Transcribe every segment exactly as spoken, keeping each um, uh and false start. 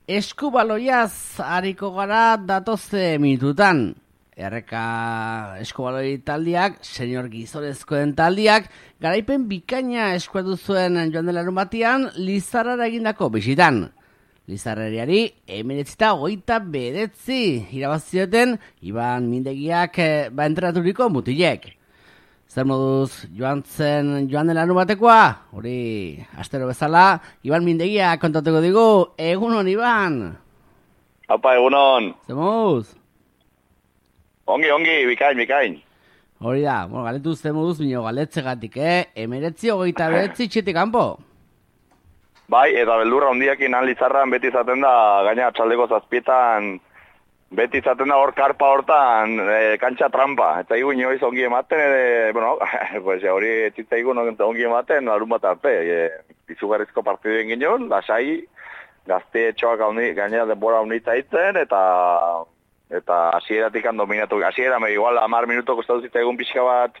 Eskubaloiaz hariko gara datoze minututan. Erreka eskubaloi taldiak, senior gizonezkoen taldiak, garaipen bikaina eskuatu zuen joan dela batian, Lizarrara egindako bisitan. Lizarreriari emeretzita hogeita bedetzi irabazioten Iban Mindegiak ba entraturiko mutilek. Zer moduz joan zen joan dela batekoa? Hori, astero bezala, Iban Mindegia kontatuko digu. Egunon, Iban! Apa, egunon! Zer moduz? Ongi, ongi, bikain, bikain. Hori da, bueno, galetu zer moduz, bino galetzegatik, eh? Emeretzi hogeita bedetzi txetik kanpo. Bai, eta beldurra hondiakin han Lizarran beti izaten da, gaina atxaldeko zazpietan, beti izaten da hor karpa hortan, e, kantxa trampa. Eta igu inoiz ongi ematen, e, bueno, pues, hori etxitza igu ongi ematen, larun bat arte. E, izugarrizko partiduen ginen, lasai, gazte etxoak gainera denbora unitza itzen, eta eta hasieratik dominatu. Hasiera, igual hamar minuto kostatu zitzaigun pixka bat,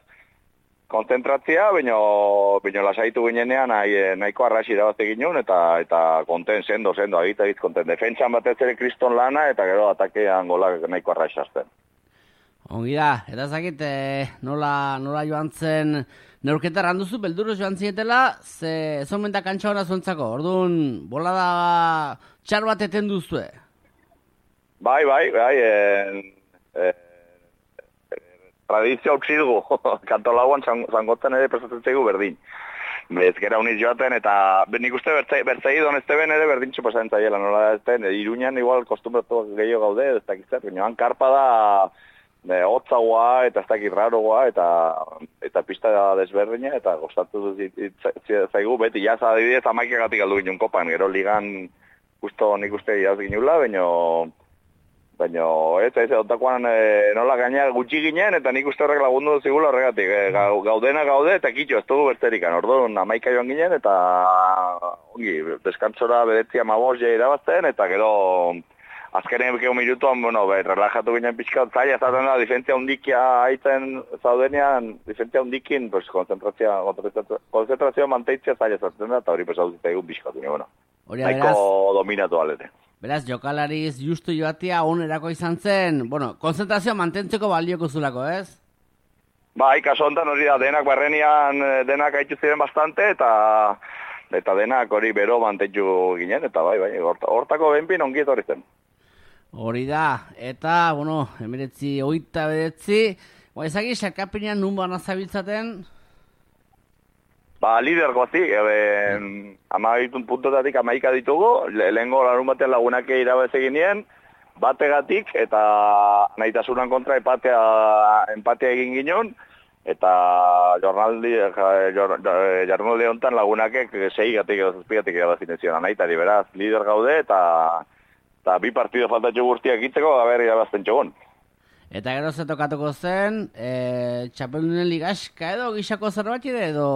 konzentratzia, baino, baino lasaitu ginenean nahi, nahiko arrasi irabazte ginen, eta, eta konten sendo, sendo, agita egit konten. Defentsan batez ere kriston lana, eta gero atakean golak nahiko arrasi azten. Ongi da, eta zakit, eh, nola, nola joan zen, neurketa randuzu, belduruz joan zinetela, ze zomentak kantxa hona zuentzako, orduan, bolada txar bat eten duzue. Bai, bai, bai, eh, eh, tradizio hautsi dugu, kantolauan zangotzen ere prestatzen zaigu berdin. Ez gera uniz joaten, eta nik uste bertzai donezte ben ere berdin txupasen zaiela, nola ezten, Iruñan igual kostumbratu gehiago gaude, ez dakizet, baina karpa da hotzagoa eta ez dakit rarogoa, eta, eta pista desberdina, eta gostatu zaigu, beti jaz adibidez amaikagatik aldu ginen kopan, gero ligan justo nik uste jaz ginula, baina Baina, ez, ez, ontakoan e, nola gaina gutxi ginen, eta nik uste horrek lagundu zigula horregatik. E, gaudena gaude, eta kitxo, ez dugu bertzerikan. Orduan, amaika joan ginen, eta ongi, deskantzora bedetzia mabos ja irabazten, eta gero azkenen bekeo minutuan, bueno, be, relajatu ginen pixka, zaila zaten da, difentzia hundikia haitzen zaudenean, difentzia hundikin, pues, konzentrazioa, konzentrazioa manteitzia zaila zaten da, eta hori pues, hau zitaigun pixka, bueno, nahiko dominatu alete. Beraz, jokalariz justu joatia onerako izan zen, bueno, konzentrazioa mantentzeko balioko zulako, ez? Bai, kaso honetan hori da, denak barrenian denak haitzu ziren bastante, eta eta denak hori bero mantentzu ginen, eta bai, bai, hortako benpin ongi etorri zen. Hori da, eta, bueno, emiretzi, oita bedetzi, bai, ezagi, xakapinean nun bana zabiltzaten? Ba, lider gozik, e, amagitun puntotatik amaika ditugu, lehenko larun batean lagunak irabaz egin nien, bategatik, eta nahitasunan kontra empatea, empatea egin ginen, eta jornaldi, jornaldi honetan lagunakek seigatik edo zazpigatik irabazin zion, nahitari beraz, lider gaude, eta, eta bi partido faltatxo guztiak itzeko, gaber irabazten txogun. Eta gero ze tokatuko zen, e, txapeldunen ligaska edo, gixako zerbait edo...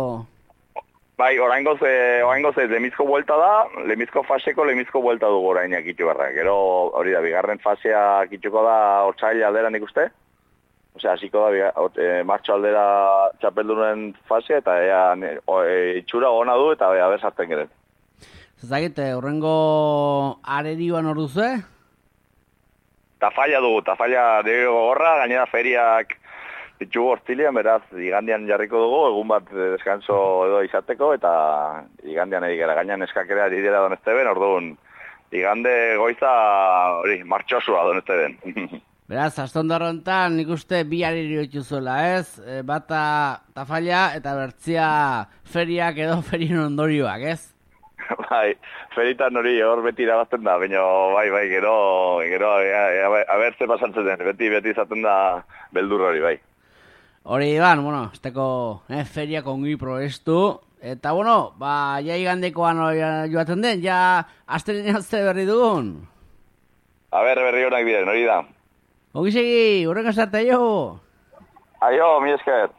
Bai, oraingoz, eh, oraingoz ez, lemizko buelta da, lemizko faseko lemizko buelta dugu orainak itxu barra. Gero, hori da, bigarren fasea itxuko da otsaila aldera nik uste. Osea, hasiko da, eh, martxo aldera txapeldunen fasea, eta ea, e, itxura ona du, eta ea, ber sartzen geren. Zazagit, horrengo arerioan hor duzu, eh? Tafalla dugu, tafalla dugu gorra, gainera feriak itxugu hortzilean, beraz, igandian jarriko dugu, egun bat deskanso edo izateko, eta igandian egikera gainan eskakerea didera donezteben, orduan, igande goiza, hori, martxosua donezteben. Beraz, astondarro enten, nik uste bi aririo itxuzuela, ez? E, bata tafalla eta bertzia feriak edo ferien ondorioak, ez? Bai, feritan hori hor beti irabazten da, baina bai, bai, gero, gero, abertze pasatzen den, beti, beti izaten da beldur hori, bai. Hori, Iban, bueno, esteko eh, feriak ongi proestu, eta, bueno, ba, ja igandekoan joaten den, ja astelenean ze berri dugun. A ber, berri honak diren, hori da. Ongi segi, horrek asarte, aio. Aio, mi esker.